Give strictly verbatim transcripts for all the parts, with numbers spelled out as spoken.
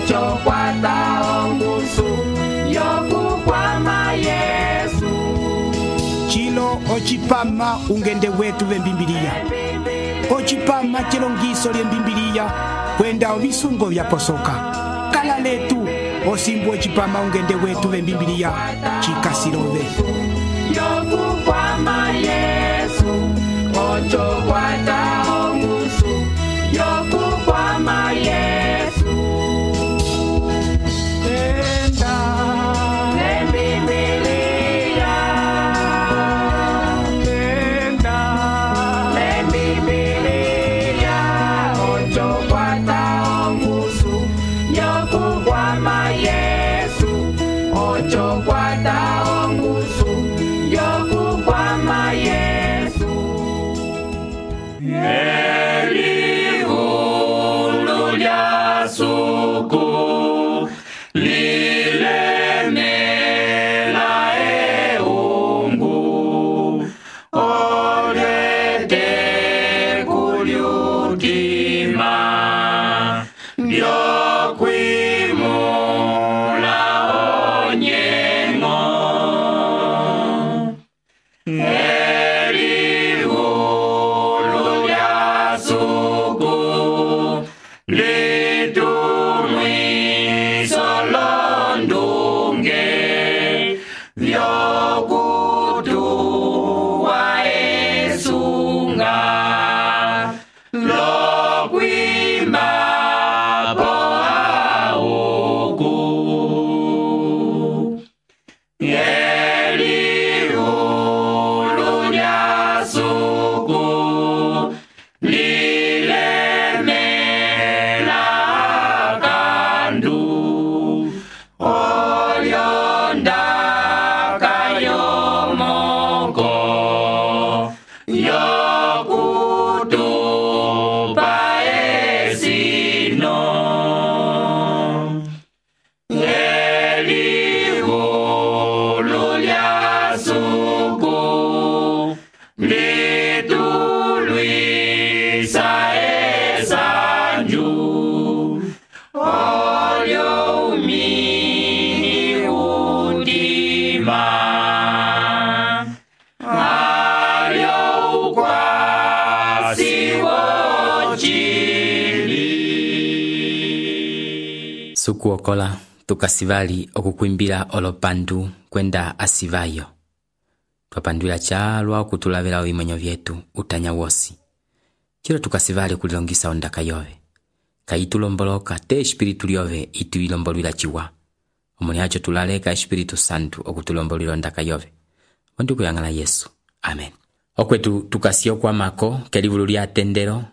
ocho kwata ongusu yokukwama Yesu. Chilo ochipama ungende wetu vembimbiliya. Ochipama chilongiso lyembimbiliya kwenda ovisungo vyaposoka. Kala letu osimbu ochipama ungende wetu vembimbiliya chikasilove. Yokukwama Yesu, ocho kwata ongusu yokukwama Yesu. Tenda lembimbiliya, tenda lembimbiliya, ocho kwata ongusu yokukwama Yesu, ocho kwata ongusu yokukwama Yesu. Elihulu lya suku lilemela eungu olete kulyutima lyokwimula onyengo. Elihulu lya suku litumwiso londunge vyokutuwa esunga lokwimba po auku. Elihulu lya suku lilemela kandu olyondaka yomoko yokutupa esino. Elihulu lya suku litulwisa esanju olyo umini udima alyo ukwasi wochili. Sukuokola tukasivali okukwimbila olopandu kwenda asivayo. Twapandwila chalwa okutulavela ovimonyo vyetu utanya wosi. Chilo tukasivali kulilongisa ondaka yove. Kaitulomboloka te espiritu lyove ituilombolwila chiwa. Omoni hacho tulaleka espiritu santu okutulombolwila ondaka yove. Ondu kuyangala Yesu. Amen. Okwetu tukasio kwa mako kelivulu lya tendero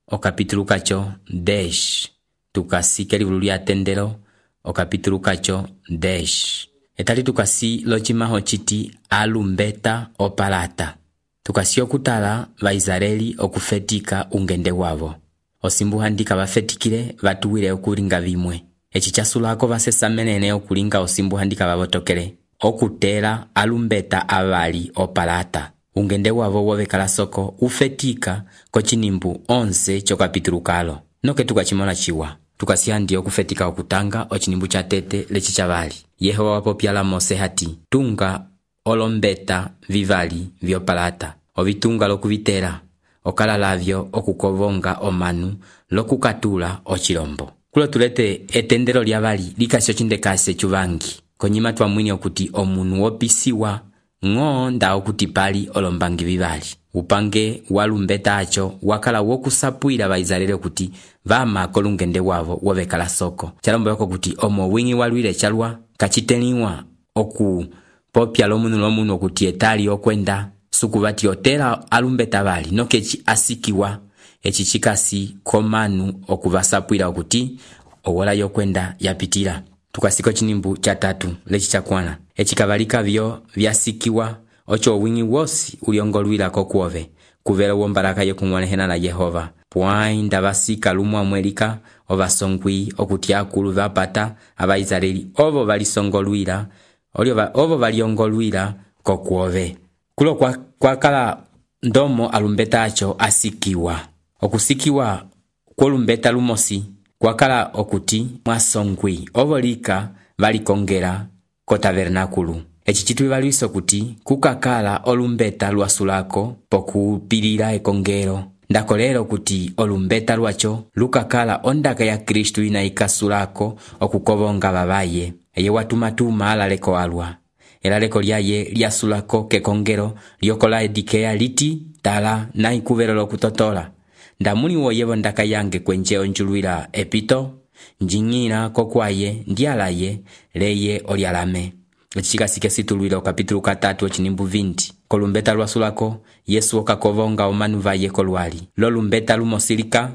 o kapitulu kacho desh. Tukasi kelivulu lya tendero o kapitulu kacho desh. Etali tukasi lochimaho chiti alumbeta opalata. Tukasi okutala vaizareli okufetika ungende wavo. Osimbu handika vafetikile vatuwile okulinga vimwe. Echi chasulako vasesa menene okulinga osimbu handika vavotokele. Okutela alumbeta avali opalata. Ungende wavo wovekala soko ufetika kochinimbu onze chokapitulu kalo. Noke tukachimona chiwa. Tukasi handi okufetika okutanga ochinimbu cha tete lechi chavali. Yehowa wapopyala Mose hati, tunga olombeta vivali vyopalata. Ovitunga lokuvitela, okala lavyo okukovonga omanu lokukatula ochilombo. Kulo tulete etendero lyavali likasi ochindekase chuvangi. Konyima twamwini okuti omunu wopisiwa ngo nda okuti pali olombangi vivali. Upange walumbeta acho wakala wokusapuila vaizalele okuti vama kolungende wavo wovekala soko. Chalombo yoko kuti omo wingi walwile chalwa kachiteniwa oku popya lomunu lomunu okuti etali okwenda sukuvati otela alumbeta vali nokechi asikiwa echi chikasi komanu okuvasapuila okuti owola yokwenda yapitila. Tukasiko chinimbu cha tatu lechi chakwana. Echi kavalika vyo vyasikiwa ocho wingi wosi uliongolwila kokuove. Kuvela wombaraka yokumwanehena na Yehova. Puai ndavasika lumwa mwelika ovasongwi okuti akulu vapata abaizareli ovo valisongolwila olio ovo valiongolwila kokuove. Kulo kwa, kwa kala ndomo alumbeta acho asikiwa. Okusikiwa kolumbeta lumosi kwakala okuti mwasongwi ovolika valikongela ko tabernakulu. Eci citwivalwisa okuti kukakala olumbeta lwasulako pokupilila ekongelo. Ndakolera okuti olumbeta lwacho lukakala ondaka ya Kristu ina ikasulako okukovonga babaye. Eye watumatuma alaleko alwa. Elaleko lyaye lyasulako kekongelo lyokola edikeya liti tala na ikuvelo lokutotola. Ndamuli woyevo ndaka yange kwenje onjulwila epito, njingina kokwaye ndialaye leye olyalame. Echikasike situlwila okapitulu katatu ochinimbu vinti. Kolumbeta lwasulako Yesu okakovonga omanu vaye kolwali. Lo lumbeta lumosilika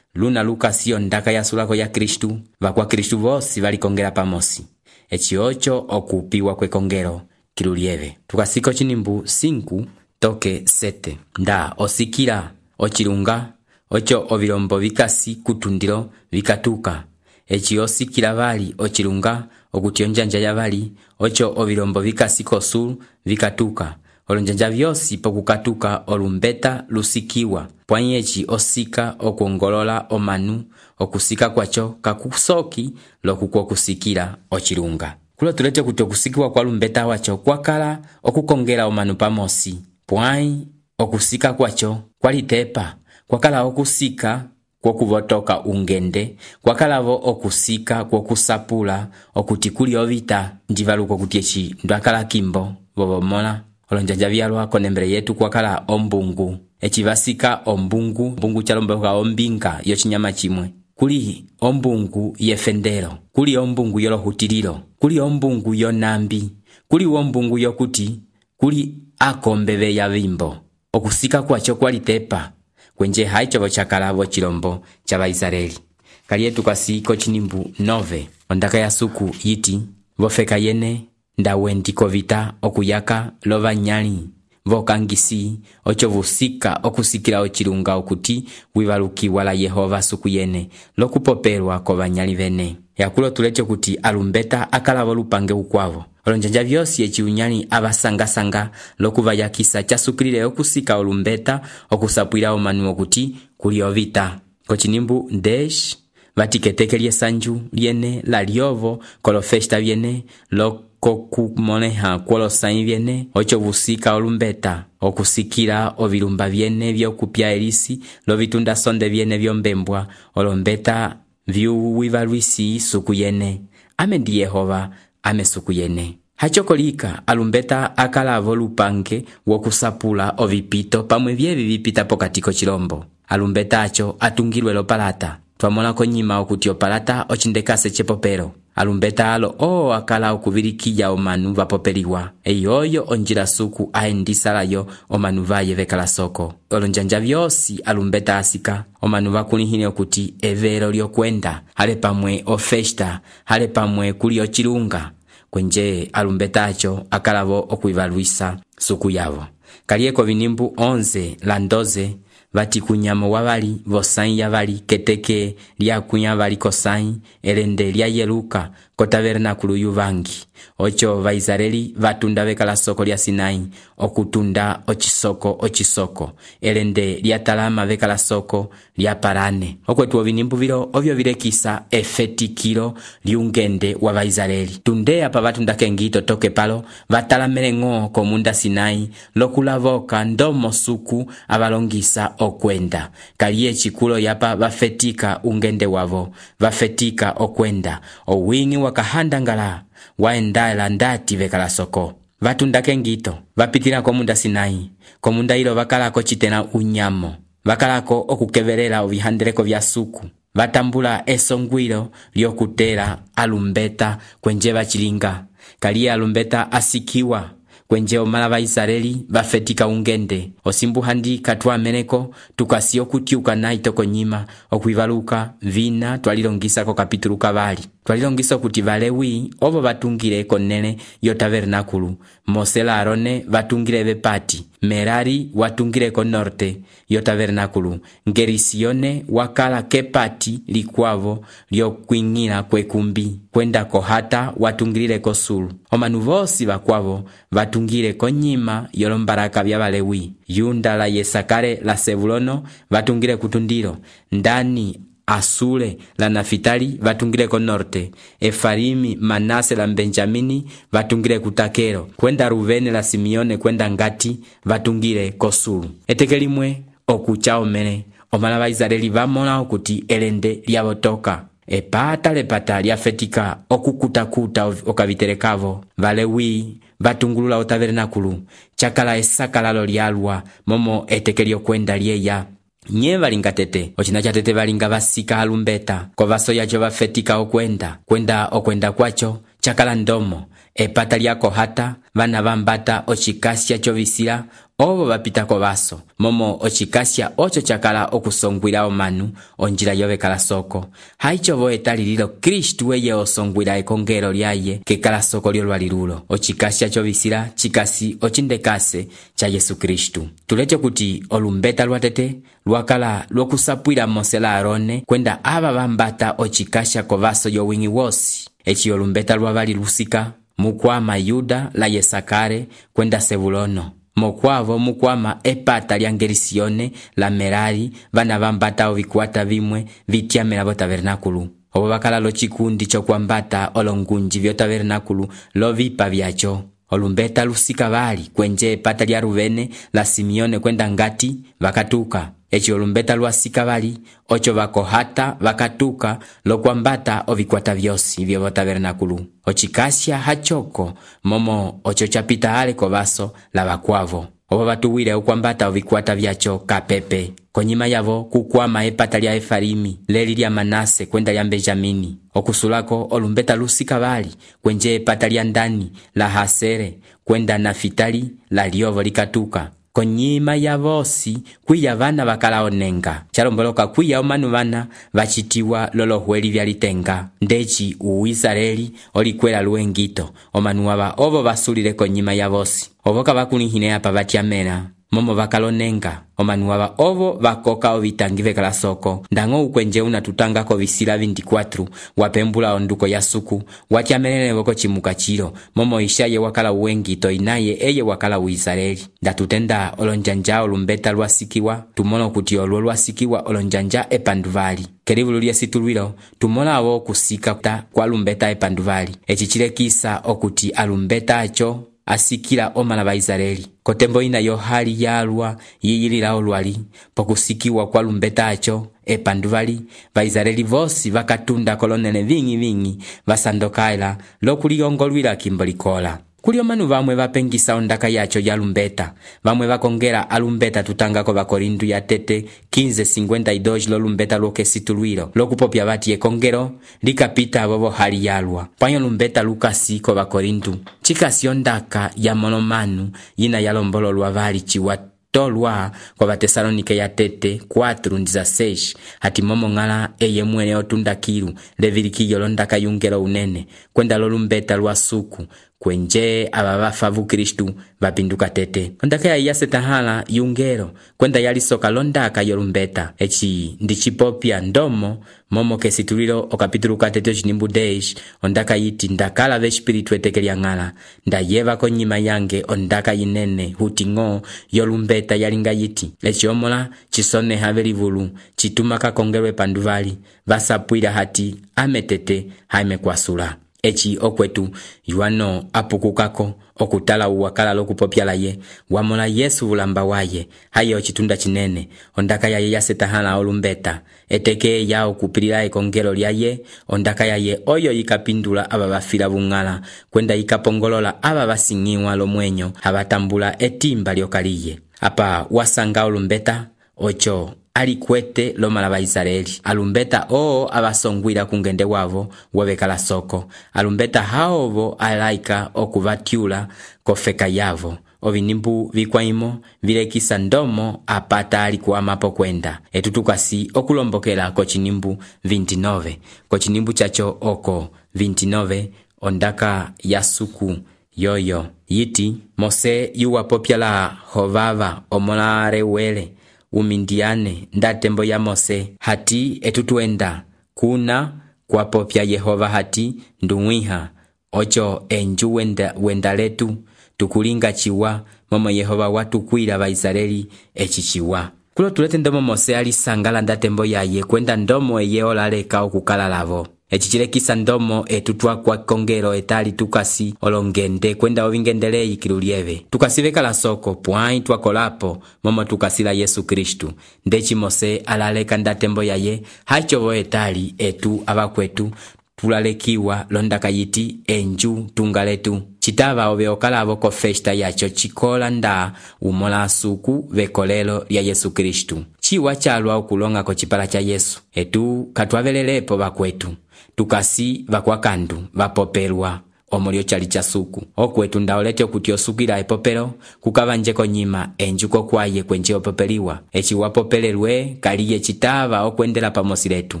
luna lukasio ndaka yasulako ya Kristu, vakwa Kristu vosi valikongela pamosi. Echi ocho okupiwa kwekongelo kilulieve. Tukasiko chinimbu cinco toke sete. Nda osikila ochilunga ocho ovilombo vikasi kutundilo vikatuka. Echi osikila vali ochilunga okuti onjanja ya vali ocho ovilombo vikasi kosulu vikatuka. Olonjanja vyosi pokukatuka olumbeta lusikiwa. Pwanyi echi osika okuongolola omanu okusika kwacho kakusoki lokuko kusikila ochilunga. Kulo tulete kuti okusikiwa kwa lumbeta wacho kwakala okukongela omanu pamosi. Pwanyi okusika kwacho kwalitepa. Kwakala okusika kwokuvotoka ungende, kwakalavo okusika kwokusapula okuti kuli ovita ndivaluko kuti echi ndwakala kimbo vovomola. Olonjanja vyalwa konembele yetu kwakala ombungu. Echi vasika ombungu, ombungu chalomboka ombinga yochinyama chimwe. Kuli ombungu yefendelo, kuli ombungu yolohutililo, kuli ombungu yonambi, kuli ombungu yokuti, kuli akombeve ya vimbo. Okusika kwacho kwalitepa kwenje haicho chakala chilombo cha Vaisraeli. Kalietu kasiko chinimbu nove. Ondaka ya suku yiti vofeka yene ndawendi kovita okuyaka lova nyali vokangisi ocho vusika okusikila ochilunga okuti wivaluki wala Yehova suku yene lokupopelwa ko banyali vene. Yakulo tulete kuti alumbeta akala volupange ukwavo. Olonjanja vyosi echi unyali abasanga-sanga lokuvayakisa chasukilile okusika olumbeta okusapwila omanu okuti kuli ovita. Kochinimbu ndesh vatiketeke lyesanju lyene la lyovo kolofesta vyene lokokumoneha kwolosai vyene ocho vusika olumbeta okusikila ovilumba vyene vyokupya elisi lovitunda sonde vyene vyombembwa olombeta vyuwivalwisi suku yene. Ame ndi Yehova ame suku yene. Hachokolika alumbeta akala volupange wokusapula ovipito pamwe vyevi vipita pokatiko chilombo. Alumbeta acho atungilwe lopalata. Twamola konyima okuti opalata ochindekase chepopero. Alumbeta alo o akala okuvilikiya omanu vapopeliwa. Eyoyo onjila suku aendisalayo omanu vaye vekala soko. Olonjanja vyosi alumbeta asika. Omanu vakulihine okuti evero lyokwenda. Hale pamwe ofesta. Hale pamwe kuli ochilunga. Kwenje alumbeta acho akalavo okuivalwisa suku yavo. Kalieko vinimbu onze la ndoze vati kunyamo wavali vosai ya vali keteke lia kunya vali kosai elende lia yeluka ko tabernakulu yuvangi. Ocho Vaisraeli vatunda vekala soko lia Sinai okutunda ochisoko ochisoko elende lia talama vekala soko lia parane. Okwetu ovinimbu vilo ovyo vilekisa efetikilo liungende wa Vaisraeli. Tundea pa vatunda kengito toke palo vatalamele ng'o komunda Sinai lokulavoka ndomo suku avalongisa okwenda. Kalie chikulo yapa vafetika ungende wavo vafetika okwenda owingi wakahanda ngala waendala ndati vekala soko. Vatunda kengito vapitila komunda Sinai. Komunda ilo vakalako chitena unyamo. Vakalako okukevelela ovihandeleko vya suku. Vatambula esongwilo lyokutela alumbeta kwenje vachilinga. Kalia alumbeta asikiwa kwenje omala Vaisraeli vafetika ungende. Osimbu handi katwa meneko tukasio kutiuka na itoko nyima okuivaluka vina twalilongisa ko kapitulu kavali. Twalilongisa kuti Valewi ovo vatungile konene yo tabernakulu. Mose la Arone vatungile vepati. Merari watungile ko norte yo tabernakulu. Ngerisione wakala kepati likwavo lyo kuingina kwekumbi. Kwenda kohata watungile ko sulu. Omanu vosi vakwavo vatungile ko nyima yolombaraka vya Valewi. Yunda la Yesakare la Sevulono vatungile kutundilo. Ndani Asule la Nafitali vatungile ko norte, Efraimi, Manase la Benjamini vatungile kutakero, kwenda Ruvene la Simeone kwenda Ngati vatungile ko sulu. Eteke limwe okucha omene omala ba Israeli vamola okuti elende lyavotoka. Epata lepata lyafetika okukutakuta okaviterekavo. Valewi vatungulula o tabernakulu, chakala esakalalo lyalwa momo eteke lyokwenda lyeya. Nye valinga tete, ochina cha tete valinga vasika alumbeta, kwa vaso yacho vafetika okwenda, kwenda okwenda kwacho, chakala ndomo, epata lyako hata, vana vambata ochikasya chovisila, ovo vapita ko vaso, momo ochikasya ocho chakala okusongwila omanu, onjila yove kala soko. Haicho vo etalililo Kristu weye osongwila ekongelo lyaye, ke kala soko lyolwalilulo. Ochikasya chovisila, chikasi ochindekase cha Yesu Kristu. Tuleche kuti olumbeta lwatete, lwakala lwokusapwila Mose la Arone, kwenda ava vambata ochikasya ko vaso yo wingi wosi. Echi olumbeta lwavali lusika, mukwama Yuda la Yesakare, kwenda Sebulono. Mokwavo mukwama epata lya Gerisione la Merari, vana vambata ovikuata vimwe vityamela vo tabernakulu. Ovo vakala lo chikundi chokwambata olongunji vyo tabernakulu lo vipa vyacho. Olumbeta lusika vali kwenje epata lya Ruvene la Simeone kwenda Ngati vakatuka. Echi olumbeta lwasika vali ocho vakohata vakatuka lo kwambata ovikuata vyosi vyo vo tabernakulu. Ochikasya hachoko momo ocho chapita ale ko vaso la vakwavo. Ovo vatuwile ukwambata ovikuata vyacho kapepe. Konyima yavo kukwama epata lya Efraimi, leli lya Manase kwenda lya Benjamini. Okusulako olumbeta lusika vali kwenje epata lya Ndani la Hasere kwenda Nafitali la lyovo likatuka. Konyima ya vosi kwiya vana vakala onenga. Chalomboloka kwiya omanu vana vachitiwa lolo hueli vya litenga. Ndechi uwisareli olikwela luengito. Omanu wava ovo vasulile konyima ya vosi. Ovo kavakunihine apa vatyamela. Momo vakalonenga. Omanu wava ovo vakoka ovitangive kala soko. Ndango ukwenje unatutanga ko visila vindikwatru. Wapembula onduko ya suku. Watyamelele voko chimuka chilo. Momo ishaye wakala uengito inaye eye wakala uisareli. Ndatutenda olonjanja olumbeta lwasikiwa. Tumono kuti olu lwasikiwa olonjanja epanduvali. Kerivulu lye situlwilo, tumola avo kusika ta kwa lumbeta epanduvali. Echichile kisa okuti alumbeta acho asikila omala ba Israeli. Kotembo ina yo hali yalwa yiyilila olwali, pokusikiwa kwa lumbeta acho epanduvali, ba Israeli vosi vakatunda kolonene vingi vingi, vasandokaila lokuliyongolwila kimbolikola. Kuli omanu vamwe vapengisa ondaka yacho ya lumbeta, vamwe vakongela alumbeta tutangako vakorindu ya tete quinze cincuenta y dos lo lumbeta loke situlwilo, lokupopya vati ekongelo, likapita avovo hali yalwa. Panyo lumbeta lukasi ko vakorindu, chikasi ondaka ya monomanu yina yalombolo lwa vali chiwa tolwa kwa Vatesalonike ya tete cuatro dieciséis hati momo ngala eye mwene otundakilu levilikillo londaka yungelo unene kwenda lolumbeta lwa suku kwenje abavafavu Kristu vapinduka tete. Ondaka ya yasetahala yungelo kwenda yalisoka londaka yolumbeta. Echi ndichipopya ndomo momo kesitulilo okapitulu katete chinimbu deish ondaka yiti ndakala ve espiritu eteke lyangala ndayeva konyima yange ondaka yinene hutingo yolumbeta yalinga yiti echi omola chisone havelivulu chituma kakongelwe panduvali vasapwila hati ametete haime kwasula. Echi okwetu yuano apukukako okutala uwakala lokupopya laye wamola Yesu vulamba waye hayo chitunda chinene ondaka yaye yasetahala olumbeta eteke ya okupilila ekongelo lyaye ondaka yaye oyo yikapindula aba bafila bungala kwenda yikapongolola aba basingiwa lomwenyo abatambula etimba lyokaliye apa wasanga olumbeta ocho alikwete lomala ba Israeli. Alumbeta oo abasongwila kungende wavo wabekala soko. Alumbeta haovo alaika okuvatiula kofeka yavo. Ovinimbu vikwaimo vilekisa ndomo apata alikuwa mapo kwenda. Etutukasi okulombokela kochinimbu veintinueve. Kochinimbu chacho oko veintinueve ondaka yasuku yoyo. Yiti Mose yuwa popyala hovava omolare wele. Umindiane ndatembo ya Mose hati etutuenda kuna kwa popya Yehova hati ndungwiha ocho enju wenda, wenda letu tukulinga chiwa momo Yehova watu kuila ba Israeli echi chiwa. kulo tulete ndomo Mose alisangala ndatembo yaye kwenda ndomo eye olaleka okukala lavo. Eci cilekisa ndomo etu twakwa kongelo etali tukasi olongende kwenda ovingendele ikilu lieve. Tukasi vekala soko pwai twakolapo momo tukasila Yesu Kristu. Ndeci Mose alaleka ndatembo yaye hachovo etali etu abakwetu tulalekiwa londaka yiti enju tungaletu. Chitava ove okalavo ko festa yacho chikola nda umola suku vekolelo lya Yesu Kristu. Chiwa chalwa okulonga ko chipala cha Yesu. Etu katwavelelepo bakwetu. Tukasi vakwakandu vapopelwa omulio chali cha suku. Okwetu ndaolete okuti osukila epopelo kukavanjeko nyima enjuko kwaye kwenje opopeliwa. Echi wapopelelwe kaliye chitava okwendela pamosi letu.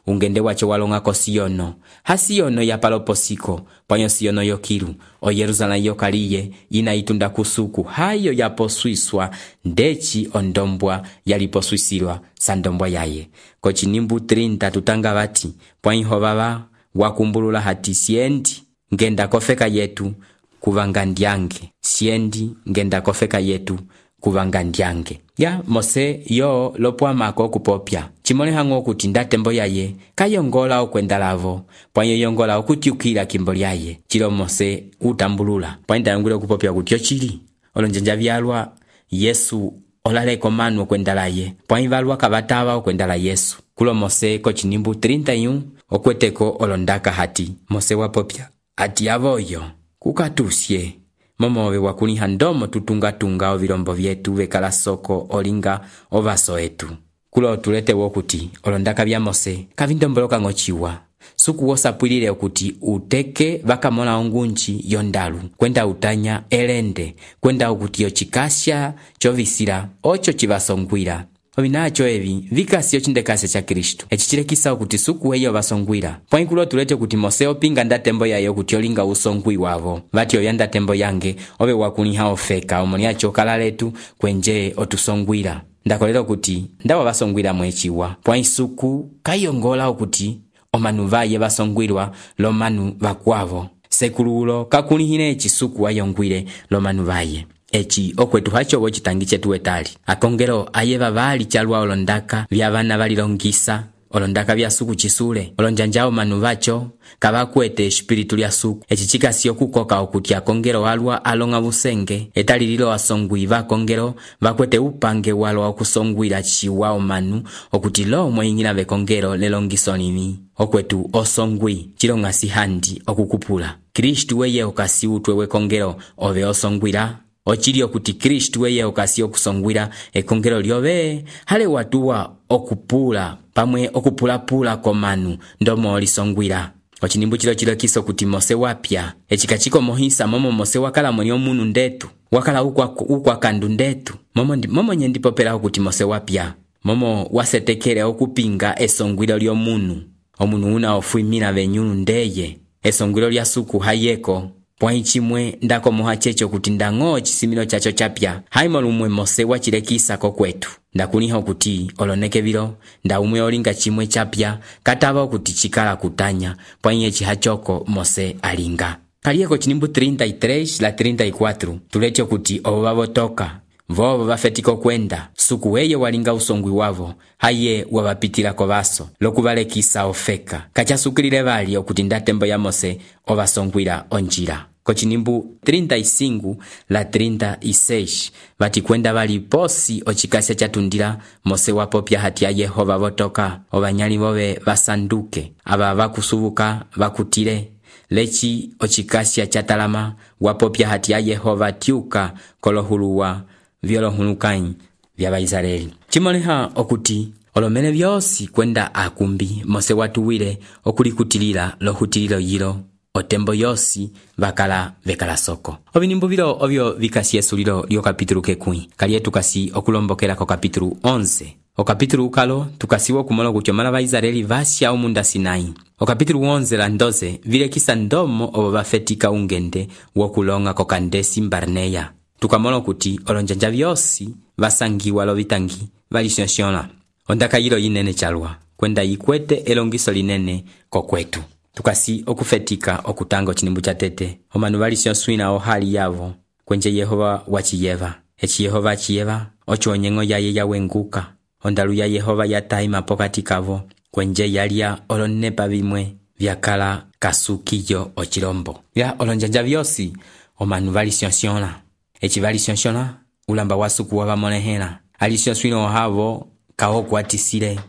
Ungende wacho walonga ko Siono. Ha Siono ya paloposiko panyo Siono yokilu. O Yeruzalemu yokaliye inaitunda kusuku hayo yaposwiswa ndechi ondombwa yaliposwisilwa sandombwa yaye. Kochinimbu trinta tutanga vati pwainho baba wakumbulula hati siendi ngenda kofeka yetu kuvangandyange. Siendi ngenda kofeka yetu kuvangandyange. Ya Mose yo lopwamako kupopya. Chimole hango kuti ndatembo yaye kayongola okwenda lavo. Pwanyo yongola okutiukila kimbo lyaye. Chilo Mose utambulula. Pwanda yongule kupopya kutyo chili. Olonjanja vyalwa Yesu olaleko manu okwenda laye. Pwanyi valwa kavatava okwenda la Yesu. Kulo Mose kochinimbu trinta y uno okweteko olondaka hati. Mose wapopya ati avoyo kukatusye momowe wakuliha ndomo tutunga-tunga ovilombo vyetu vekala soko olinga ovaso etu. Kulo tulete wokuti olondaka vya Mose kavindomboloka ngochiwa. Suku wosapwilile okuti uteke vakamola ongunchi yondalu kwenda utanya elende kwenda okuti yochikasya chovisila ocho chivasongwila. Ovinacho evi vikasi yochindekase cha Kristu. Echi chilekisa okuti suku weyo vasongwila. Pwaikulo tulete kuti Mose opinga ndatembo yayo kuti olinga usongwi wavo. Vati oya ndatembo yange ove wakuniha ofeka omoniacho kala letu kwenje otusongwila. Ndakolelo kuti ndawa vasongwila mwechiwa. Pwaisuku kayongola okuti omanu vaye vasongwilwa lomanu vakwavo. Sekululo kakunihine echi suku wayongwile lomanu vaye. Echi okwetu hacho wochitangi chetu etali. Akongelo ayeva vali chalwa olondaka vya vana valilongisa olondaka vya suku chisule. Olonjanjao manu vacho kavakwete espiritu lya suku. Echi chikasi okukoka okuti akongelo walwa alonga busenge etali lilo asongwi vakongelo vakwete upange walwa okusongwila chiwa omanu okuti lo mweingina vekongelo lelongiso nini. Okwetu osongwi chilonga sihandi okukupula. Kristu weye okasi utwe wekongelo ove osongwila. Ochili okuti Kristu weye okasi okusongwila ekongelo lyove hale watuwa okupula pamwe okupula-pula komanu ndomo olisongwila. Ochinimbu chilo chilo kiso kuti Mose wapya. Echikachiko mohisa momo Mose wakala mweni omunu ndetu. Wakala ukwa, ukwa kandu ndetu. Momo, momo nyendipopela okuti Mose wapya. Momo wasetekele okupinga esongwilo lyo munu. Omunu una ofuimina venyunu ndeye. Esongwilo lya suku hayeko. Pwai chimwe ndako moha checho kuti ndango chisimilo chacho chapya. Haimo lumwe Mose wachilekisa kokwetu. Ndakuniha okuti oloneke vilo nda umwe olinga chimwe chapya katava okuti chikala kutanya pwai echi hachoko Mose alinga. Kalieko chinimbu treinta y tres la treinta y cuatro tulete okuti ovo vavotoka vovo vafetiko kwenda suku weye walinga usongwi wavo haye wavapitila kovaso lokuvalekisa ofeka kachasukilile vali okuti ndatembo ya Mose ovasongwila onjila. Kochinimbu treinta y cinco la treinta y seis vati kwenda vali posi ochikasya chatundila Mose wapopya hati ya Yehova votoka ovanyali vove vasanduke ava vakusubuka vakutile lechi ochikasya chatalama wapopya hati ya Yehova tiuka kolohuluwa vyolohulukanyi vya Vaisraeli. Chimoleha okuti olomene vyosi kwenda akumbi Mose watuwile okulikutilila lohutililo yilo otembo yosi vakala vekala soko. Ovinimbu vilo ovyo vikasi yesulilo lyo kapitulu kekui. Kaliye tukasi okulombokela ko kapitulu onze. O kapitulu ukalo tukasiwa kumolo kutyo mala Vaisraeli vasya umunda Sinai. O kapitulu onze la ndoze vilekisa ndomo obo vafetika ungende wokulonga ko Kandesi Barneya. Tukamolo kuti olonjanja vyosi vasangiwa lovitangi valisyonsyona. Ondaka yilo yinene chalwa kwenda yikwete elongiso linene kokwetu. Tukasi okufetika okutanga chinimbu cha tete. Omanu valisyonswina ohali yavo kwenje Yehova wachiyeva. Echi Yehova achiyeva ocho onyengo yaye yawenguka. ondalu ya Yehova yataima pokati kavo, kwenje yalya olonepa bimwe vyakala kasukiyo ochilombo. Ya olonjanja vyosi omanu valisyonsyona. Echi valisyonsyona ulamba wasuku wabamolehela. Alisyonswina ohavo kao kwatisile.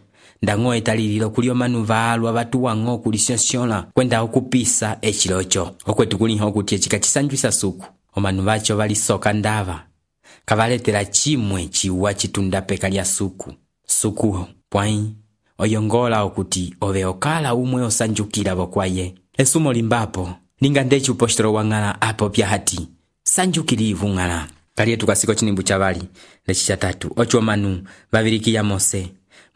Ndango etalililo kuli omanu valwa batuwango kulisyonsyona kwenda okupisa echilocho. Okwetu kuliho kuti echika chisanjwisa suku. Omanu bacho balisoka ndava. Kavaletela chimwe chiwa chitunda peka lya suku. Suku pwai oyongola okuti ove okala umwe osanjukila bokwaye. Esumo limbapo ninga ndechi upostolo wangala apo pya hati sanjukilivu ngala. Kaliye tukasiko chinimbu chavali lechi chatatu. Ocho manu babiriki ya Mose.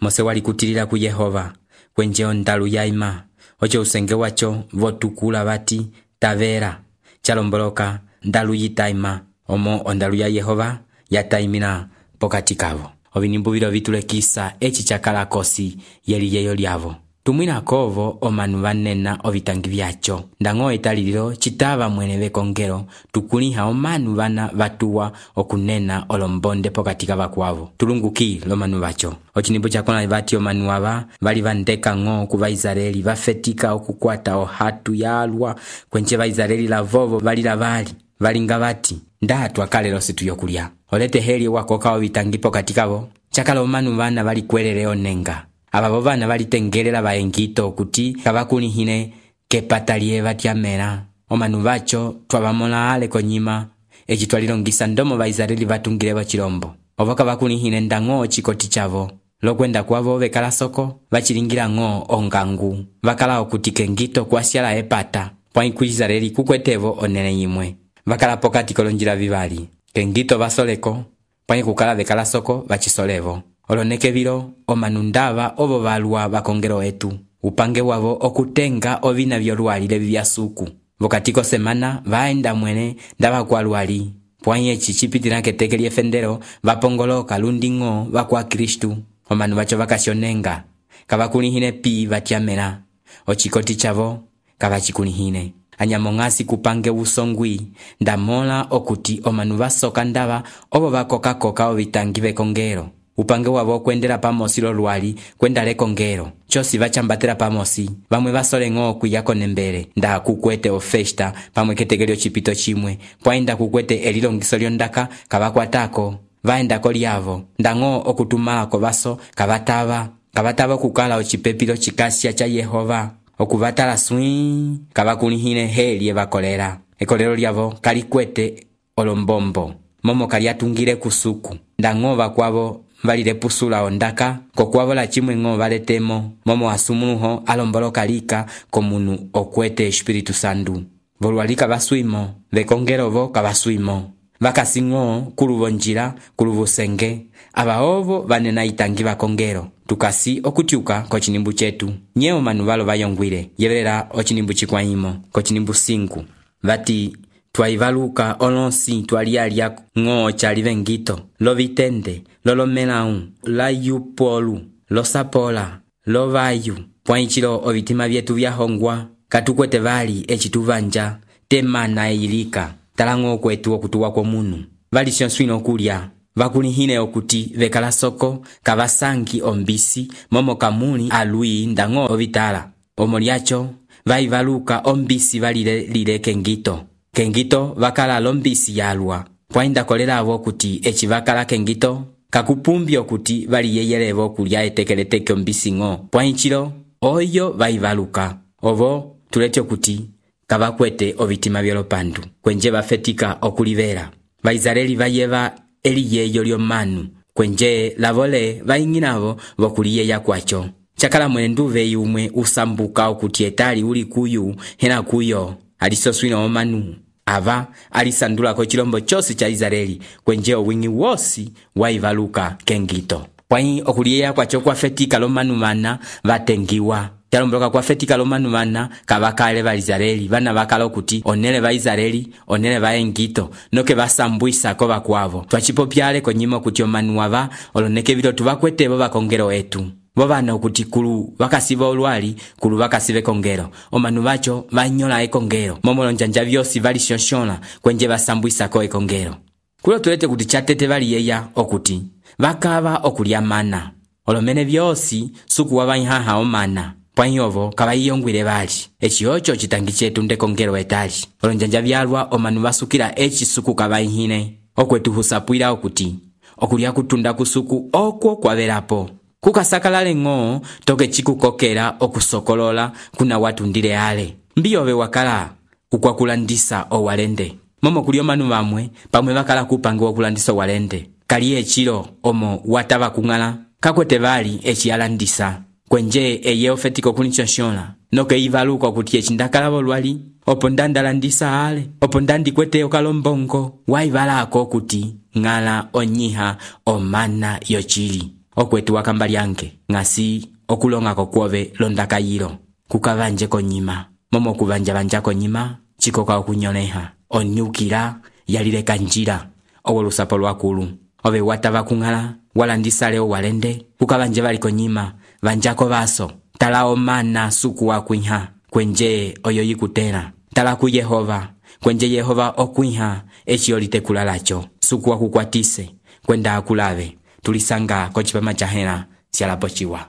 Mose wali kutilila ku Yehova kwenje ondalu yaima. Ocho usenge wacho votukula bati tavera chalomboloka ndalu yitaima. Omo ondalu ya Yehova yataimina pokati kavo. Obinimbu bilo vitulekisa echi chakala kosi yeli yeyo lyavo. Tumwina kovo omanu vanena ovitangi vyacho. Ndango etalililo chitava mwene vekongelo tukuliha omanu vana vatuwa okunena olombonde pokati kava kwavo. Tulunguki lo manu vacho. Ochinimbu chakona vati omanu wava vali vandeka ngo kuva Israeli vafetika okukwata ohatu ya alwa kwenche va Israeli la vovo vali la vali. Valinga vati ndatu akalelo situ yokulia. Olete heli wakoka ovitangi pokati kavo. Chakala omanu vana vali kwelele onenga. Ababo bana balitengelela baengito okuti kabakulihine kepatalie batyamela. Omanu bacho twabamola ale konyima echitwalilongisa ndomo ba Israeli batungile bachilombo. Obo kabakulihine ndango chikoti chavo. Lokwenda kwavo bekala soko bachilingira ngo ongangu. Bakala okuti kengito kwasyala epata. Pwai ku Israeli kukwetevo onene yimwe. Bakala pokati kolonjila vivali. Kengito basoleko pwai kukala bekala soko bachisolevo. Oloneke vilo omanu ndava obo balwa bakongero etu. Upange wavo okutenga ovina vyolwalile vya suku. Vokatiko semana vaenda mwene ndava kwa lwali. Pwanye chichipitila ketekeli efendero vapongoloka lundingo vakwa Kristu. Omanu bacho vakasyonenga. Kavakulihine pi vatyamela. Ochikoti chavo kavachikulihine. Anyamongasi kupange usongwi. Ndamola okuti omanu basoka ndava obo bakoka koka ovitangi vekongero. Upange wavo kwendela pamosi lo lwali kwenda lekongero. Chosi vachambatela pamosi. Vamwe basole ngo kuyako nembele. Nda kukwete ofesta pamwe ketegelio chipito chimwe. Pwaenda kukwete elilongiso lyondaka kabakwatako. Vaenda kolyavo. Ndango okutumala kobaso kabatava. Kabatava kukala ochipepilo chikasya cha Yehova. Okuvatala swing kabakulihine heli evakolera. Ekolero lyavo kalikwete olombombo. Momo kaliatungile kusuku. Ndango bakwavo valile pusula ondaka kokwavo la chimwe ngo valetemo. Momo asumunuho alomboloka lika komunu okwete Espiritu Sandu. Volwalika baswimo vekongerovo kabaswimo. Vakasingo kuluvonjila kuluvusenge. Abaovo vanena itangi vakongero. Tukasi okutiuka kochinimbu chetu. Nyeo manu valo vayongwile. Yevelela ochinimbu chikwaimo. Kochinimbu sinku. Vati twaivaluka olonsi twalialia ngo chalivengito. Lo vitende. Lolo melau. La yupolu. Lo sapola. Lo vayu. Pwaichilo ovitima vyetu vya hongwa. Katukwete vali echituvanja. Temana eilika. Talango kwetu okutuwa kwa munu. Vali sionswino kulia. Vakulihine okuti vekala soko kavasangi ombisi momo kamuni alui ndango ovitala. Omoliacho vaivaluka ombisi valile lile kengito. Kengito vakala lombisi yalwa. Pwainda kolela avo okuti echi vakala kengito kakupumbi okuti vali yeyelevo kulia etekeleteke ombisi ngo. Pwainchilo oyo vaivaluka. Ovo tulete okuti kavakwete ovitima vyolopandu. Kwenje vafetika okulivera. Vaizareli vayeva eliyeyo lyo manu. Kwenje lavole vainginavo vokuliye ya kwacho. Chakala mwenduve yumwe usambuka okuti etali uli kuyu hena kuyo. Alisoswina omanu. Ava alisandula ko chilombo chosi cha Israeli. Kwenje owingi wosi waivaluka kengito. Pwai okuliye ya kwacho kwa fetika lo manu mana vatengiwa. Chalomboloka kwa fetika lo manu mana kabakale va Israeli. Vana bakala okuti onele va Israeli, onele va engito. Noke basambuisa ko bakwavo. Twachipopyale konyima okuti omanu wava oloneke vilo tuvakwete bo bakongero etu. Bobana okuti kulu bakasiba olwali kulu bakasibe kongero. Omanu bacho banyola ekongero. Momolo njanja vyosi vali shonshona kwenje basambuisa ko ekongero. Kulo tulete kuti chatete vali yeya okuti vakava okulia mana. olomene vyosi suku wavaihaha omana pwanyovo kavaiyongwile vali eci oco citangi cetu ndekongelo etali olonjanja vyalwa omanu vasukila eci suku kavaihine okwetu husapwila okuti okulya kutunda kusuku okwo kwavelapo kukasakalale ng'o toke cikukokela okusokolola kuna watundile ale mbiyove wakala ukwakulandisa owalende momo kuli omanu vamwe pamwe vakala kupange wokulandisa owalende kali ecilo omo watava kung'ala kakwete vali eci alandisa kwenje eye ofetiko kulinchonshonla noke ivaluka okuti eci ndakalavo lwali opo ndandalandisa ale opo ndandikwete okalombongo waivalako okuti ng'ala onyiha omana yocili okwetu wakamba lyange ng'asi okulongako kwove londakayilo kukavanje konyima momo kuvanja-vanja konyima chikoka okunyoleha onyukila yalileka njila owo lusapo lwakulu ove watava kung'ala walandisa leo walende kukavanje vali konyima vanjako vaso tala omana suku wakwiha kwenje oyo yikutela tala ku Yehova kwenje Yehova okwiha eci olitekula lacho suku wakukwatise kwenda akulave tulisanga kochipama chahela sialapo chiwa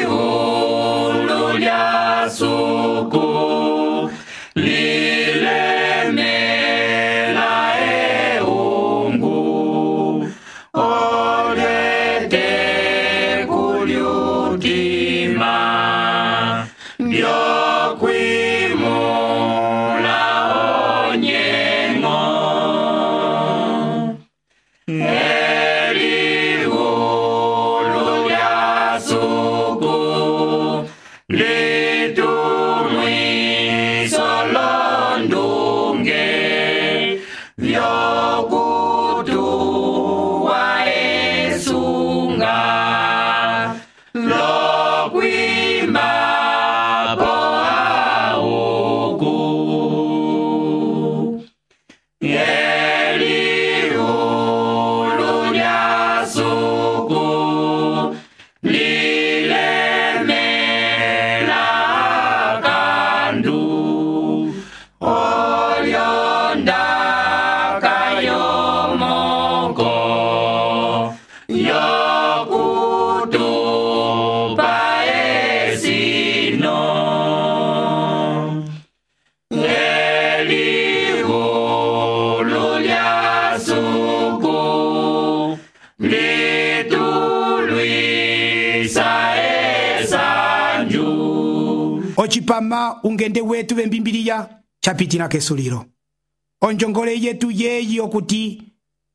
Elihulu lya suku lilemela eungu olete kulyutima byokwimula onyengo Elihulu lya suku litumwiso londunge vyokutuwa esunga lokwimba po auku Elihulu lya suku lilemela kandu olyondaka yomoko yokutupa esino Elihulu lya suku litulwisa esanju ocipama ungende wetu vembimbiliya capitila kesulilo onjongole yetu yeyi okuti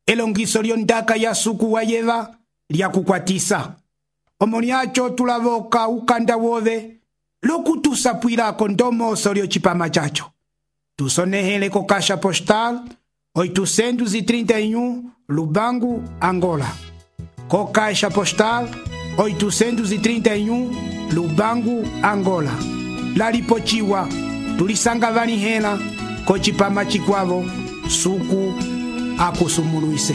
elongiso lyondaka ya suku wayeva lyakukwatisa omo lyaco tulavoka ukanda wove lokutusapwilako ndomoso lyocipama caco tusonehele ko caixa postal oitocentos e trinta e um Lubango, Angola. Co caixa postal oitocentos e trinta e um Lubango, Angola. Lalipochiwa tulisanga vanihela ko cipama cikwavo suku akusumuluise.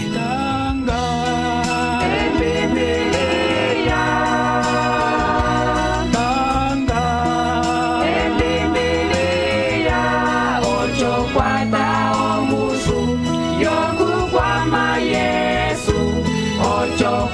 Yo